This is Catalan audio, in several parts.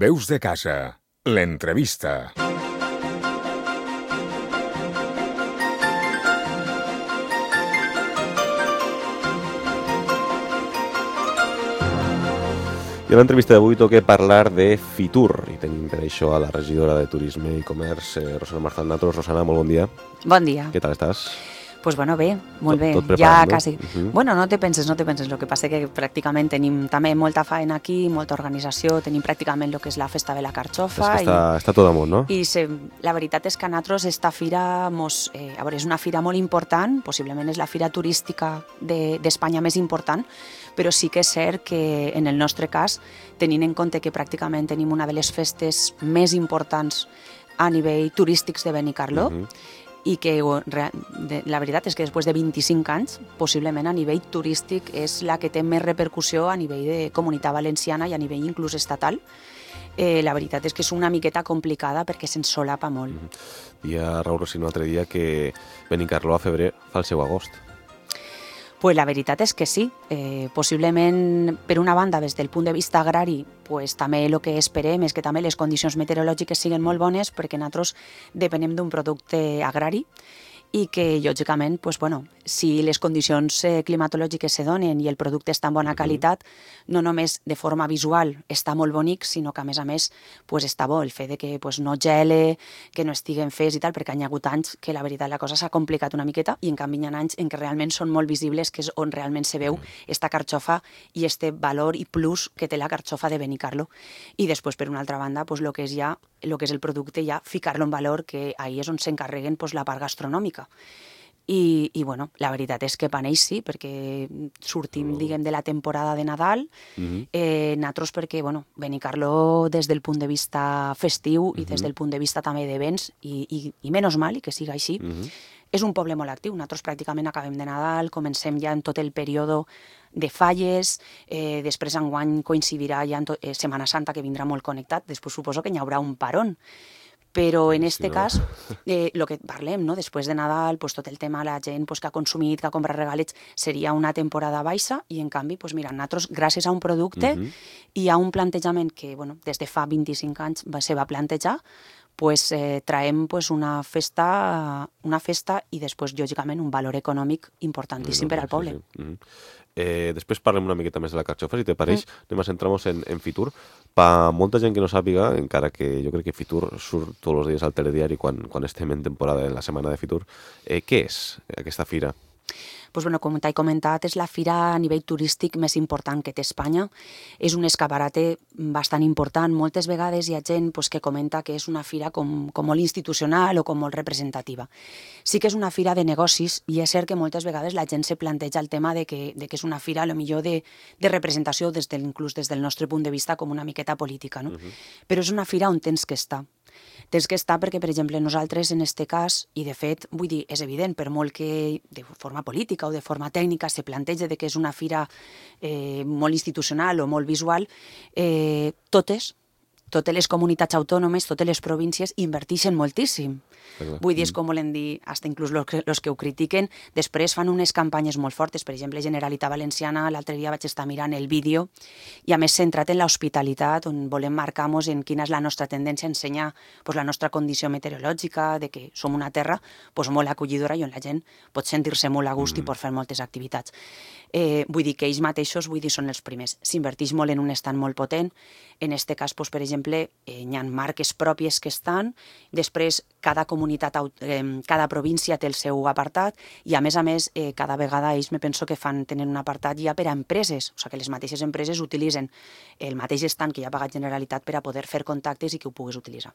Veus de casa, l'entrevista. I a l'entrevista d'avui toca parlar de Fitur i tenim per això a la regidora de Turisme i Comerç, Rosana Marzal-Natros. Rosana, molt bon dia. Bon dia. Què tal estàs? Pues bueno, bé, molt bé. Tot preparat, ja no? quasi. Bueno, no te penses. El que passa que pràcticament tenim també molta faena aquí, molta organització, tenim pràcticament el que és la festa de la carxofa. És que està tot amunt, no? I la veritat és que a nosaltres esta fira, a veure, és una fira molt important, possiblement és la fira turística d'Espanya més important, però sí que és cert que en el nostre cas, tenint en compte que pràcticament tenim una de les festes més importants a nivell turístics de Benicarló, i que la veritat és que després de 25 anys, possiblement a nivell turístic és la que té més repercussió a nivell de Comunitat Valenciana i a nivell inclús estatal. La veritat és que és una miqueta complicada perquè se'n solapa molt. Dia Raül Rossi un altre dia que Benicarló a febrer fa el seu agost. Pues la veritat és que sí. Possiblement, per una banda, des del punt de vista agrari, pues, també el que esperem és que també les condicions meteorològiques siguin molt bones, perquè nosaltres depenem d'un producte agrari i que, lògicament, pues, bueno, si les condicions climatològiques se donen i el producte està en bona qualitat, no només de forma visual està molt bonic, sinó que, a més, pues, està bo el fet de que pues, no gele, que no estiguen fes i tal, perquè hi ha hagut anys que la veritat la cosa s'ha complicat una miqueta i en canvi hi ha anys en què realment són molt visibles, que és on realment se veu esta carxofa i este valor i plus que té la carxofa de Benicarló. I després, per una altra banda, pues, el que és el producte, ja ficar-lo en valor, que ahí és on s'encarreguen pues, la part gastronòmica. I bueno, la veritat és que per ells sí, perquè sortim, diguem, de la temporada de Nadal, nosaltres perquè, bueno, Benicarló des del punt de vista festiu i des del punt de vista també d'events, i menys mal, i que siga així, és un poble molt actiu. Nosaltres pràcticament acabem de Nadal, comencem ja en tot el període de falles, després enguany coincidirà ja en Setmana Santa, que vindrà molt connectat, després suposo que hi haurà un parón. Però en este cas, el que parlem, no? Després de Nadal, pues, tot el tema, la gent pues, que ha consumit, que ha comprat regalets, seria una temporada baixa i, en canvi, pues, mira, nosaltres, gràcies a un producte i a un plantejament que bueno, des de fa 25 anys se va plantejar, pues, traiem pues, una festa i després, lògicament, un valor econòmic importantíssim per al poble. Després parlem una miqueta més de la carxofa, si te pareix. Anem a centrar-nos en Fitur. Per molta gent que no sàpiga, encara que jo crec que Fitur surt tots els dies al telediari quan estem en temporada, en la setmana de Fitur, què és aquesta fira? Pues, bueno, com t'he comentat, és la fira a nivell turístic més important que té Espanya. És un escaparate bastant important. Moltes vegades hi ha gent pues, que comenta que és una fira com molt institucional o com molt representativa. Sí que és una fira de negocis i és cert que moltes vegades la gent se planteja el tema de que és una fira, potser de representació, inclús des del nostre punt de vista, com una miqueta política. No? Però és una fira on tens que estar. Tens que estar perquè, per exemple, nosaltres en aquest cas, i de fet, vull dir, és evident, per molt que de forma política o de forma tècnica se planteja que és una fira molt institucional o molt visual, totes les comunitats autònomes, totes les províncies inverteixen moltíssim. Vull dir, és com volen dir, fins inclús els que ho critiquen, després fan unes campanyes molt fortes. Per exemple, Generalitat Valenciana, l'altre dia vaig estar mirant el vídeo, i a més centrat en l'hospitalitat, on volem marcar-nos en quina és la nostra tendència a ensenyar pues, la nostra condició meteorològica, de que som una terra pues, molt acollidora i on la gent pot sentir-se molt a gust i pot fer moltes activitats. Vull dir que ells mateixos són els primers. S'inverteix molt en un estand molt potent. En aquest cas, doncs, per exemple, hi ha marques pròpies que estan, després cada província té el seu apartat i, a més, cada vegada ells me penso que tenen un apartat ja per a empreses, o sigui que les mateixes empreses utilitzen el mateix estand que ja ha pagat Generalitat per a poder fer contactes i que ho puguis utilitzar.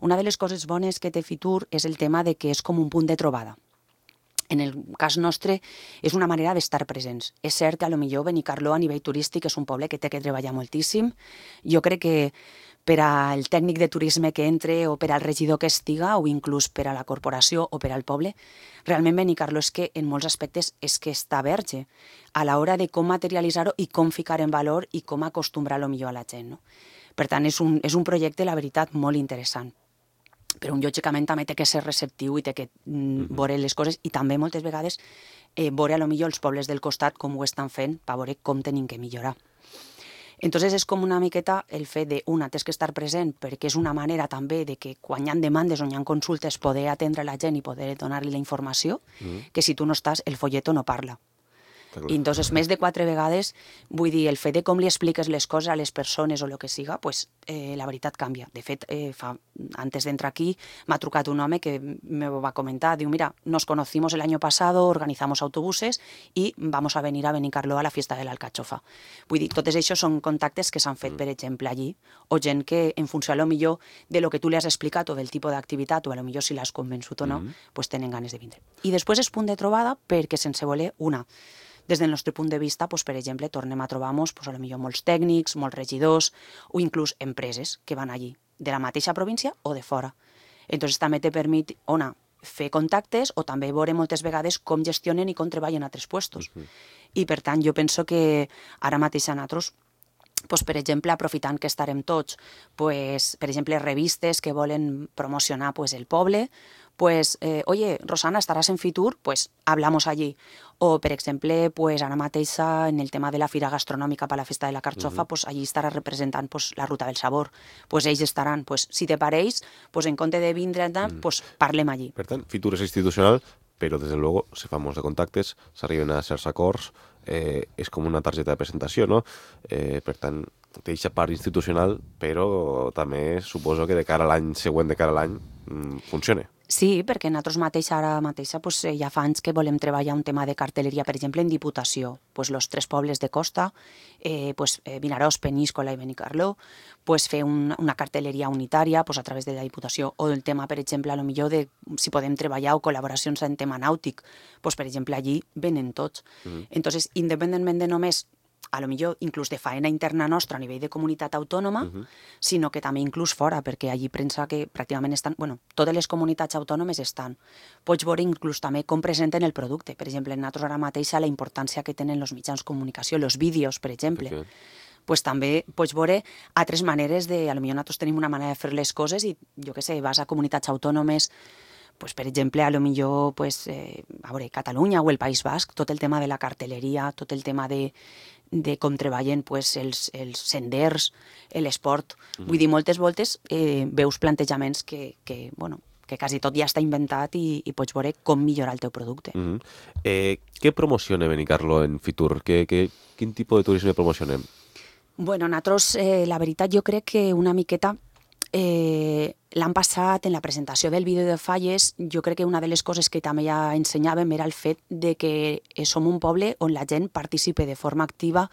Una de les coses bones que té Fitur és el tema de que és com un punt de trobada. En el cas nostre és una manera d'estar presents. És cert que potser Benicarló a nivell turístic és un poble que té que treballar moltíssim. Jo crec que per al tècnic de turisme que entre o per al regidor que estiga o inclús per a la corporació o per al poble, realment Benicarló és que en molts aspectes és que està verge a l'hora de com materialitzar-ho i com ficar en valor i com acostumbrar millor a la gent. No? Per tant, és un projecte, la veritat, molt interessant. Però lògicament també té que ser receptiu i té que veure les coses i també moltes vegades veure potser els pobles del costat com ho estan fent per veure com tenim que millorar. Entonces és com una miqueta el fet de, una, tens que estar present perquè és una manera també de que quan hi ha demandes o hi ha consultes poder atendre la gent i poder donar-li la informació, que si tu no estàs, el folleto no parla. I entonces, més de 4 vegades, vull dir, el fet de com li expliques les coses a les persones o el que siga, pues, la veritat canvia. De fet, antes d'entrar aquí, m'ha trucat un home que me va comentar, diu, mira, nos conocimos el año pasado, organizamos autobuses y vamos a venir a Benicarló a la fiesta de la alcachofa. Vull dir, totes això són contactes que s'han fet, per exemple, allí, o gent que, en funció a lo millor de lo que tu li has explicat o del tipus d'activitat, o a lo millor si l'has convençut o no, pues tenen ganes de vindre. I després és punt de trobada perquè sense voler una. Des del nostre punt de vista, doncs, per exemple, tornem a trobar-nos doncs, potser molts tècnics, molts regidors o inclús empreses que van allí, de la mateixa província o de fora. Entonces també te permet, fer contactes o també veure moltes vegades com gestionen i com treballen a altres puestos. I per tant, jo penso que ara mateix a nosaltres, pues, per exemple, aprofitant que estarem tots, pues, per exemple, revistes que volen promocionar pues, el poble, pues, oye, Rosana, estaràs en Fitur, pues hablamos allí. O, per exemple, pues, ara mateix en el tema de la fira gastronòmica per la festa de la carxofa, pues, allí estarà representant pues, la Ruta del Sabor. Pues ells estaran, pues, si te pareix, pues, en compte de vindre, pues, parlem allí. Per tant, Fitur és institucional, però, des de luego, se fan molts de contactes, s'arriben a certs acords, és com una targeta de presentació, no? Per tant, té aquesta part institucional, però també suposo que de cara a l'any següent, de cara a l'any, funciona. Sí, perquè nosaltres mateix, ara mateixa, pues, ja fa anys que volem treballar un tema de cartelleria, per exemple, en Diputació. Pues, los 3 pobles de costa, pues, Vinaròs, Peníscola i Benicarló, pues, fer una cartelleria unitària pues, a través de la Diputació. O el tema, per exemple, a lo millor de si podem treballar o col·laboracions en tema nàutic. Pues, per exemple, allí venen tots. Entonces, independentment de només a lo millor inclús de faena interna nostra a nivell de comunitat autònoma, sinó que també inclús fora, perquè allí pensa que pràcticament estan, totes les comunitats autònomes estan. Pots veure inclús també com presenten el producte. Per exemple, nosaltres ara mateix la importància que tenen els mitjans de comunicació, els vídeos, per exemple. Pues també pots veure altres maneres de... A lo millor nosaltres tenim una manera de fer les coses i, jo què sé, vas a comunitats autònomes, pues, per exemple, a lo millor pues, a veure, Catalunya o el País Basc, tot el tema de la cartelleria, tot el tema de com treballen pues, els senders, l'esport. Vull dir, moltes voltes veus plantejaments que quasi tot ja està inventat i pots veure com millorar el teu producte. Què promociona Benicarló en Fitur? Quin tipus de turisme promocionem? Bueno, nosaltres, la veritat, jo crec que una miqueta l'han passat en la presentació del vídeo de falles. Jo crec que una de les coses que també ja ensenyàvem era el fet de que som un poble on la gent participe de forma activa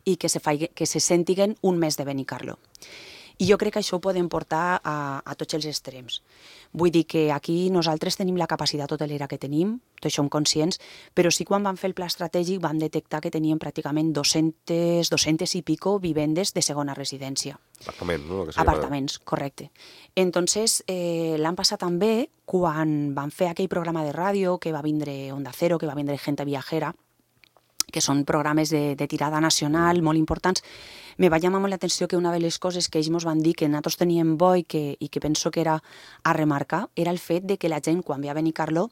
i que se sentiguen un mes de Benicarló. I jo crec que això ho podem portar a tots els extrems. Vull dir que aquí nosaltres tenim la capacitat hotelera que tenim, tots som conscients, però sí quan vam fer el pla estratègic vam detectar que teníem pràcticament 200 i pico vivendes de segona residència. Apartaments, no? Apartaments, correcte. Entonces, l'any passat també, quan vam fer aquell programa de ràdio que va vindre Onda Cero, que va vindre Gente Viajera, que són programes de tirada nacional molt importants, me va llamar molt l'atenció que una de les coses que ells ens van dir que nosaltres teníem bo i que penso que era a remarcar era el fet de que la gent, quan ve a Benicarló,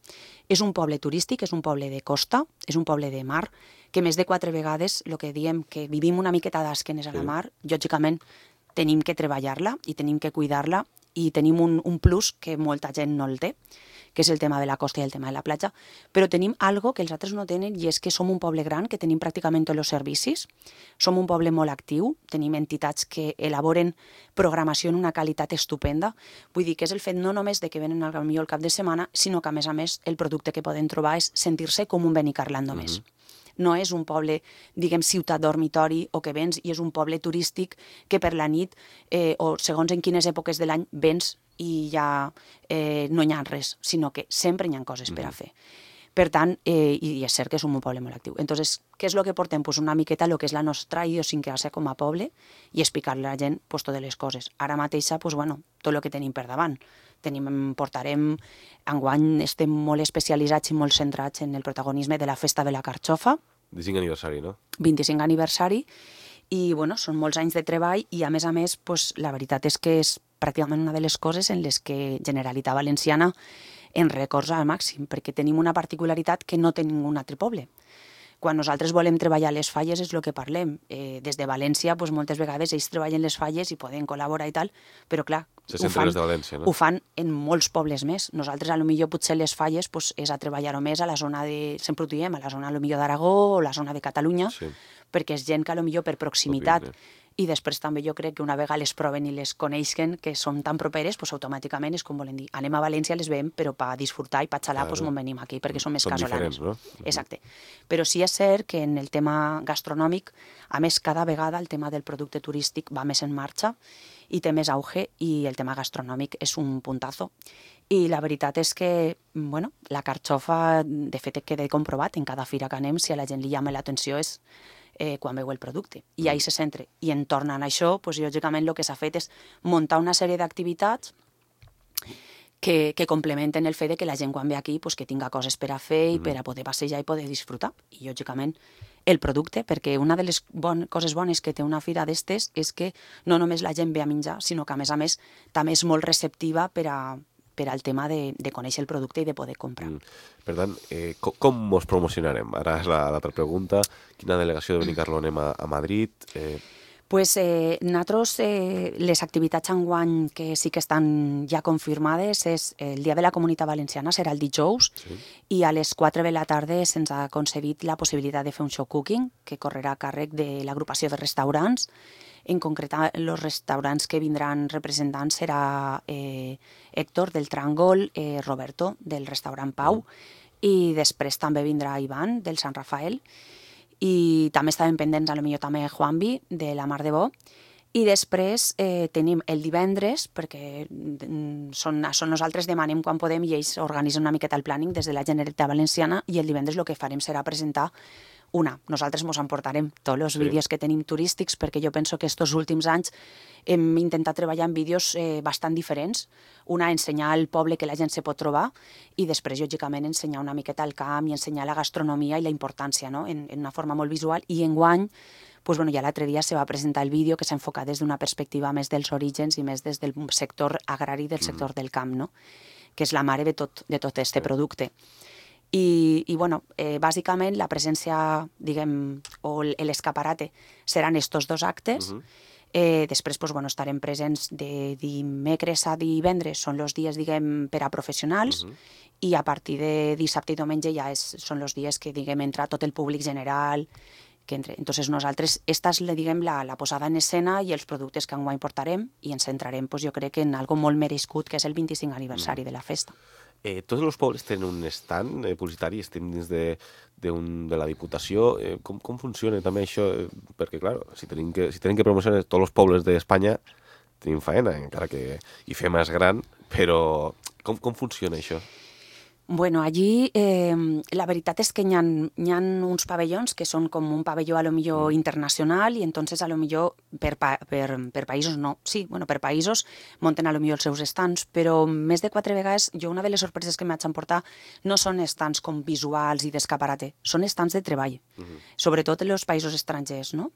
és un poble turístic, és un poble de costa, és un poble de mar, que més de 4 vegades, el que diem que vivim una miqueta d'esquenes a la mar, lògicament tenim que treballar-la i tenim que cuidar-la i tenim un plus que molta gent no el té, que és el tema de la costa i el tema de la platja, però tenim algo que els altres no tenen i és que som un poble gran, que tenim pràcticament tots els servicis, som un poble molt actiu, tenim entitats que elaboren programació en una qualitat estupenda, vull dir que és el fet no només de que venen al millor el cap de setmana, sinó que a més el producte que poden trobar és sentir-se com un Benicarló més. No és un poble, diguem, ciutat dormitori o que vens i és un poble turístic que per la nit o segons en quines èpoques de l'any vens i ja no hi ha res, sinó que sempre hi ha coses per a fer. Per tant, i és cert que som un poble molt actiu. Entonces, què és el que portem? Pues una miqueta el que és la nostra idiosincràsia com a poble i explicar-li a la gent pues, totes les coses. Ara mateixa, pues, tot el que tenim per davant. Portarem, enguany estem molt especialitzats i molt centrats en el protagonisme de la festa de la carxofa. 25 aniversari, no? 25 aniversari. I són molts anys de treball i a més, pues, la veritat és que és pràcticament una de les coses en les que Generalitat Valenciana en recorda al màxim, perquè tenim una particularitat que no té ningú altre poble. quan nosaltres volem treballar les falles és el que parlem. Des de València, doncs, moltes vegades ells treballen les falles i poden col·laborar i tal, però clar, ho fan en molts pobles més. Nosaltres, potser potser les falles doncs, és a treballar-ho més a la zona de, sempre ho diem, a la zona d'Aragó o la zona de Catalunya, perquè és gent que potser per proximitat i després també jo crec que una vegada les proven i les coneixen, que són tan properes, doncs automàticament és com volen dir, anem a València, les veiem, però per disfrutar i per xalar, doncs m'ho venim aquí, perquè som més casolanes. No? Exacte. Però sí és cert que en el tema gastronòmic, a més, cada vegada el tema del producte turístic va més en marxa i té més auge, i el tema gastronòmic és un puntazo. I la veritat és que, bueno, la carxofa, de fet, queda comprovat en cada fira que anem, si a la gent li llama l'atenció és quan veu el producte, i ahí se centra. I en tornant a això, doncs, lògicament el que s'ha fet és muntar una sèrie d'activitats que complementen el fet de que la gent quan ve aquí doncs, que tinga coses per a fer i per a poder passejar i poder disfrutar. I lògicament el producte, perquè una de les coses bones que té una fira d'estes és que no només la gent ve a menjar, sinó que a més també és molt receptiva per al tema de conèixer el producte i de poder comprar. Per tant, com ens promocionarem? Ara és l'altra pregunta. Quina delegació de Benicarló anem a Madrid? Pues nosaltres, les activitats enguany que sí que estan ja confirmades és el Dia de la Comunitat Valenciana, serà el dijous, i a les 4 de la tarda se'ns ha concedit la possibilitat de fer un show cooking que correrà a càrrec de l'agrupació de restaurants. En concret, els restaurants que vindran representants serà Héctor del Tràngol, Roberto del restaurant Pau, i després també vindrà Ivan del Sant Rafael, i també estaven pendents potser també Juanvi de la Mar de Bo. I després tenim el divendres, perquè nosaltres demanem quan podem i ells organitzen una miqueta el planning des de la Generalitat Valenciana, i el divendres el que farem serà presentar nosaltres ens emportarem tots els vídeos que tenim turístics, perquè jo penso que aquests últims anys hem intentat treballar en vídeos bastant diferents. Ensenyar al poble que la gent se pot trobar, i després, lògicament, ensenyar una miqueta el camp i ensenyar la gastronomia i la importància, no? En una forma molt visual. I enguany, ja l'altre dia se va presentar el vídeo que s'ha enfocat des d'una perspectiva més dels orígens i més des del sector agrari, del sector del camp, no? Que és la mare de tot aquest producte. I bàsicament la presència, diguem, o l'escaparate seran estos dos actes. Després estarem presents de dimecres a divendres, són els dies, diguem, per a professionals, i a partir de dissabte i diumenge ja són els dies que, diguem, entra tot el públic general. Entonces nosaltres, esta és, diguem, la posada en escena i els productes que enguany portarem, i ens centrarem, jo crec, en algo molt merescut, que és el 25 aniversari de la festa. Tots els pobles tenen un stand publicitari, estem dins de la Diputació. Com funciona també això? Perquè, clar, si tenim que promocionar tots els pobles d'Espanya, tenim faena, encara que hi fem més gran, però com funciona això? Bueno, allí la veritat és que hi ha uns pavellons que són com un pavelló a lo millor internacional, i entonces a lo millor per països no. Sí, per països munten a lo millor els seus stands, però més de 4 vegades una de les sorpreses que m'haig emportar no són stands com visuals i d'escaparate, són stands de treball, sobretot en els països estrangers, no?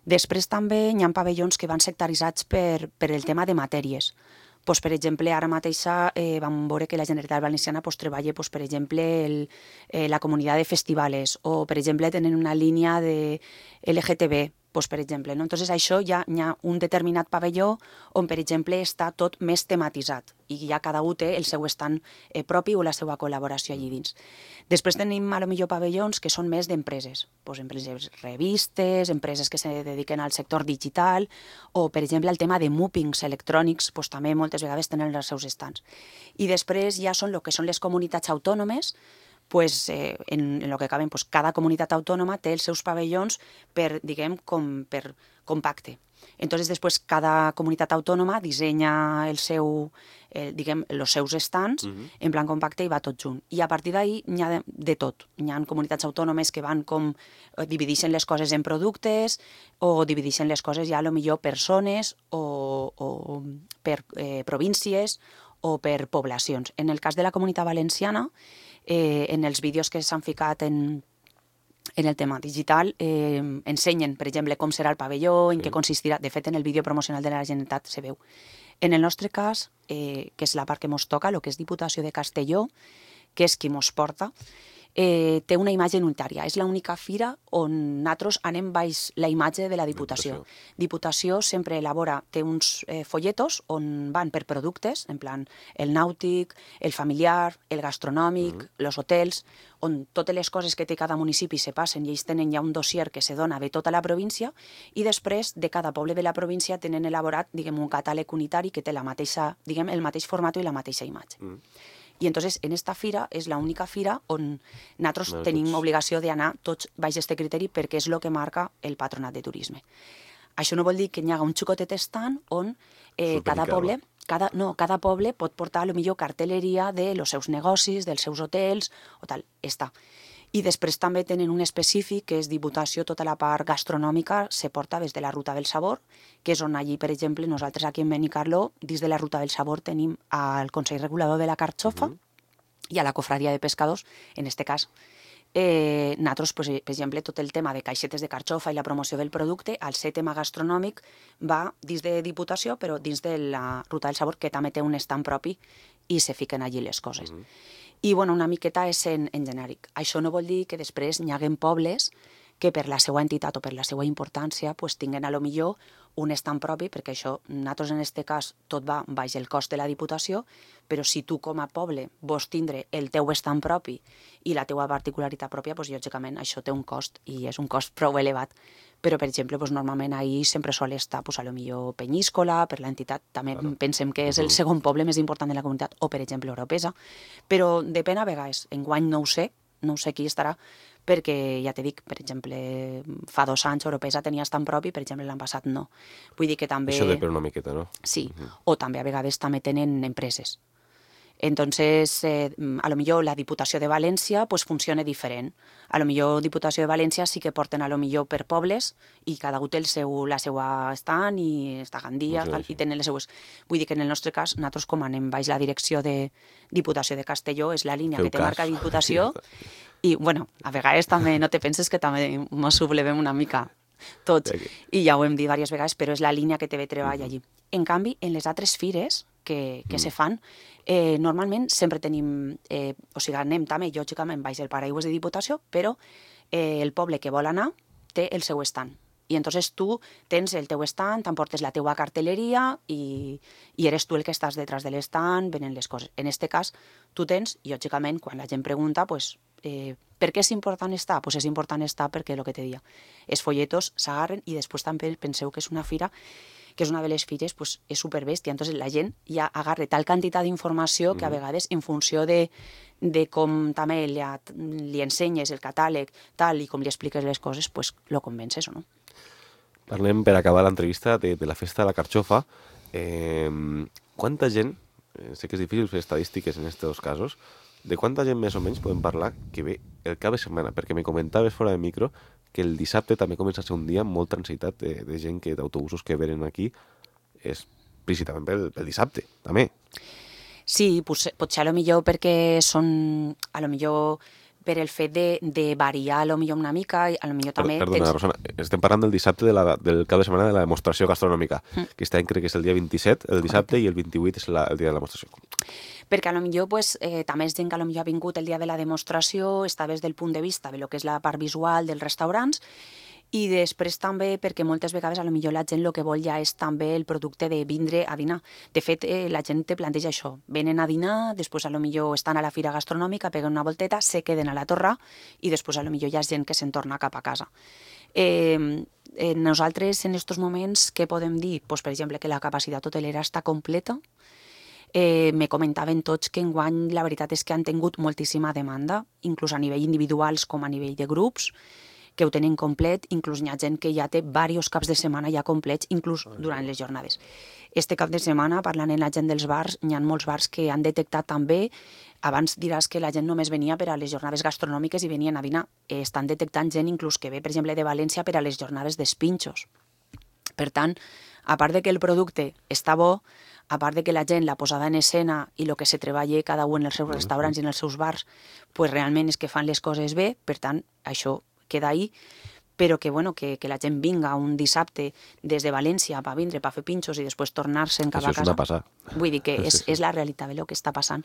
Després també hi ha pavellons que van sectaritzats per el tema de matèries. Per exemple, ara mateixa vam veure que la Generalitat Valenciana treballa, per exemple, la comunitat de festivals, o, per exemple, tenen una línia de LGTB, per exemple. Entonces, això hi ha un determinat pavelló on, per exemple, està tot més tematitzat, i ja cada un té el seu stand propi o la seva col·laboració allí dins. Després tenim, potser, pavellons que són més d'empreses, empreses revistes, empreses que se dediquen al sector digital, o, per exemple, el tema de mòpings electrònics, també moltes vegades tenen els seus stands. I després ja són el que són les comunitats autònomes, en el que caben, cada comunitat autònoma té els seus pavellons per compacte. Entonces, després, cada comunitat autònoma dissenya els seus stands en plan compacte i va tot junt. I a partir d'ahí n'hi ha de tot. Hi ha comunitats autònomes que van divideixen les coses en productes, o divideixen les coses ja potser per zones, o per províncies, o per poblacions. En el cas de la Comunitat Valenciana, en els vídeos que s'han ficat en el tema digital, ensenyen, per exemple, com serà el pavelló, en què consistirà. De fet, en el vídeo promocional de la Generalitat se veu. En el nostre cas, que és la part que ens toca, el que és Diputació de Castelló, que és qui ens porta, té una imatge unitària. És l'única fira on nosaltres anem baix la imatge de la Diputació. Diputació sempre elabora, té uns folletos on van per productes, en plan el nàutic, el familiar, el gastronòmic, els hotels, on totes les coses que té cada municipi se passen i ells tenen ja un dossier que se dona de tota la província i després de cada poble de la província tenen elaborat, diguem, un catàleg unitari que té la mateixa, diguem, el mateix format i la mateixa imatge. I entonces en esta fira és l'única fira on nosaltres tenim obligació d'anar tots baix aquest criteri perquè és el que marca el Patronat de Turisme. Això no vol dir que hi haga un xicotet estant on cada poble pot portar potser cartelleria dels seus negocis, dels seus hotels o tal, està. I després també tenen un específic que és Diputació, tota la part gastronòmica se porta des de la Ruta del Sabor, que és on allí, per exemple, nosaltres aquí en Benicarló, dins de la Ruta del Sabor tenim al Consell Regulador de la Carxofa i a la Cofradia de Pescadors, en este cas. Nosaltres, per exemple, tot el tema de caixetes de carxofa i la promoció del producte, al ser tema gastronòmic va dins de Diputació, però dins de la Ruta del Sabor, que també té un estand propi i se fiquen allí les coses. I bueno, una miqueta és en genèric. Això no vol dir que després hi haguem pobles que per la seva entitat o per la seva importància pues, tinguen a lo millor un estand propi, perquè això, nosaltres en aquest cas, tot va baix el cost de la Diputació, però si tu com a poble vols tindre el teu estand propi i la teua particularitat pròpia, pues, lògicament això té un cost i és un cost prou elevat. Però, per exemple, pues, normalment ahir sempre sol estar pues, a lo millor Penyíscola, per l'entitat, també pensem que és el segon poble més important de la comunitat, o, per exemple, Oropesa, però depèn a vegades. Enguany no ho sé qui estarà, perquè, ja t'he dit, per exemple, fa 2 anys Oropesa tenia estant propi, per exemple, l'any passat no. Vull dir que també... Això depèn una miqueta, no? Sí, o també a vegades també tenen empreses. Entonces, a lo millor la Diputació de València pues, funciona diferent. A lo millor Diputació de València sí que porten a lo millor per pobles i cada un té la seva estant i està a Gandia i tenen les seues... Vull dir que en el nostre cas, nosaltres com anem baix la direcció de Diputació de Castelló, és la línia que té marca Diputació i, bueno, a vegades també no te penses que també ens sublevem una mica tots i ja ho hem dit diverses vegades, però és la línia que té de treball allí. En canvi, en les altres fires que se fan, normalment sempre tenim, o sigui, anem també, lògicament, baix el paraigües de Diputació, però el poble que vol anar té el seu estand. I entonces tu tens el teu estand, t'emportes la teua cartelleria i eres tu el que estàs detrás de l'estand, venen les coses. En este cas, tu tens, lògicament, quan la gent pregunta, pues, per què és important estar? Pues és important estar perquè, el que te deia, els folletos s'agarren i després també penseu que és una fira que és una de les fires, pues, és superbèstia. Entonces la gent ja agarra tal quantitat d'informació que a vegades, en funció de com també li ensenyes el catàleg tal i com li expliques les coses, pues, lo convences o no. Parlem, per acabar l'entrevista, de la festa de la Carxofa. Quanta gent, sé que és difícil fer estadístiques en aquests casos, de quanta gent més o menys podem parlar que ve el cap de setmana? Perquè me comentaves fora de micro que el dissabte també comença a ser un dia molt transitat de gent, d'autobusos que venen aquí, és principalment pel dissabte, també. Sí, potser a lo millor perquè són, a lo millor per el fet de variar a lo millor una mica, a lo millor també... Perdona, Rosana, estem parlant del dissabte del cap de setmana de la demostració gastronòmica, que aquest any crec que és el dia 27, el dissabte, i el 28 és el dia de la demostració. Perquè a lo millor pues, també és gent que a lo millor ha vingut el dia de la demostració, està des del punt de vista de lo que és la part visual dels restaurants, i després també perquè moltes vegades a lo millor la gent el que vol ja és també el producte de vindre a dinar. De fet, la gent te planteja això. Venen a dinar, després a lo millor estan a la fira gastronòmica, peguen una volteta, se queden a la torre i després a lo millor hi ha gent que se'n torna cap a casa. Nosaltres en aquests moments què podem dir? Pues, per exemple, que la capacitat hotelera està completa. Me comentaven tots que enguany la veritat és que han tingut moltíssima demanda, inclús a nivell individuals com a nivell de grups, que ho tenen complet, inclús hi ha gent que ja té diversos caps de setmana ja complets, inclús durant les jornades. Este cap de setmana, parlant amb la gent dels bars, hi ha molts bars que han detectat també, abans diràs que la gent només venia per a les jornades gastronòmiques i venien a dinar. Estan detectant gent inclús que ve, per exemple, de València per a les jornades d'espinxos. Per tant, a part de que el producte està bo, a part de que la gent, la posada en escena i el que se treballa cada un en els seus restaurants i en els seus bars, pues realment és que fan les coses bé, per tant, això queda ahí, però que, bueno, que la gent vinga un dissabte des de València per vindre, per fer pinxos i després tornar-se'n cap a casa. Això és una passada. Vull dir que és la realitat del que està passant.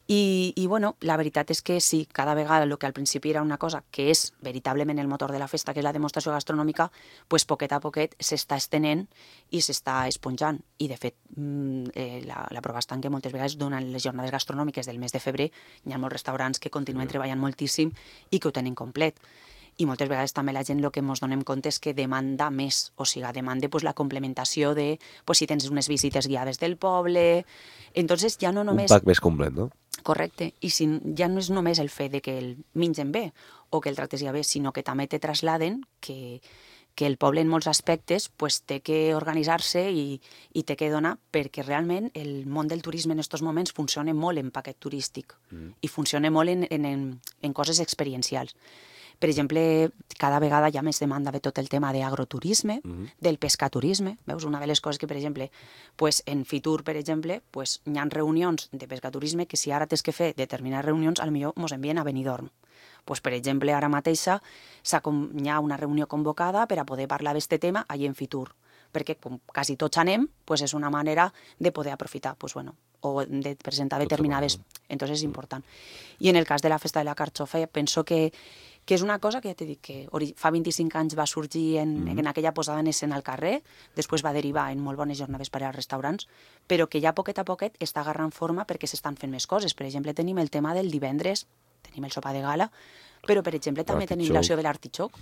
I bueno, la veritat és que sí, cada vegada el que al principi era una cosa que és veritablement el motor de la festa, que és la demostració gastronòmica, pues poquet a poquet s'està estenent i s'està esponjant. I de fet, la prova està en que moltes vegades durant les jornades gastronòmiques del mes de febrer hi ha molts restaurants que continuen treballant moltíssim i que ho tenen complet. I moltes vegades també la gent el que ens donem compte és que demanda més, o sigui, demanda pues, la complementació de pues, si tens unes visites guiades del poble. Entonces ja no només... Un pack més complet, no? Correcte, i si ja no és només el fet de que el mengen bé o que el tractes ja bé, sinó que també te trasladen que el poble en molts aspectes pues, té que organitzar-se i té que donar, perquè realment el món del turisme en aquests moments funciona molt en paquet turístic i funciona molt en coses experiencials. Per exemple, cada vegada hi ha més demanda de tot el tema d'agroturisme, del pescaturisme. Veus, una de les coses que, per exemple, pues, en Fitur, per exemple, pues, hi ha reunions de pescaturisme que si ara tens que fer determinades reunions, potser ens envien a Benidorm. Pues, per exemple, ara mateixa hi ha una reunió convocada per a poder parlar d'aquest tema allà en Fitur, perquè com quasi tots anem, pues, és una manera de poder aprofitar, pues, bueno, o de presentar determinades... Entonces és important. I en el cas de la festa de la carxofa, penso que és una cosa que ja t'he dit que fa 25 anys va sorgir en aquella posada en escena al carrer, després va derivar en molt bones jornades per als restaurants, però que ja poquet a poquet està agarrant forma perquè s'estan fent més coses. Per exemple, tenim el tema del divendres, tenim el sopar de gala, però per exemple també tenim l'acció de l'artitxoc.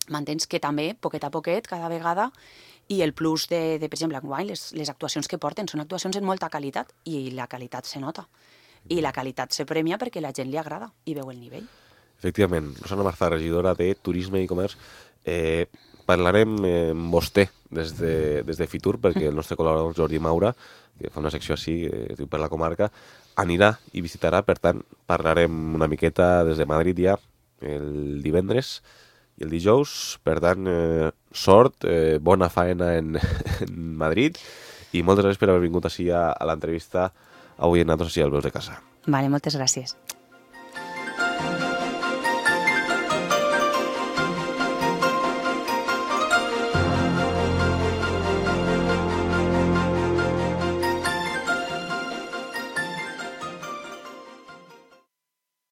M'entens que també, poquet a poquet, cada vegada, i el plus de per exemple, enguany, les actuacions que porten són actuacions en molta qualitat, i la qualitat se nota. I la qualitat se premia perquè la gent li agrada i veu el nivell. Efectivament, Rosana Marzà, regidora de Turisme i Comerç. Parlarem amb vostè des de Fitur, perquè el nostre col·laborador Jordi Maura, que fa una secció així, es diu Per la Comarca, anirà i visitarà, per tant, parlarem una miqueta des de Madrid ja el divendres i el dijous. Per tant, sort, bona faena en Madrid, i moltes gràcies per haver vingut així a l'entrevista avui en Nosaltres així al Veus de Casa. Vale, moltes gràcies.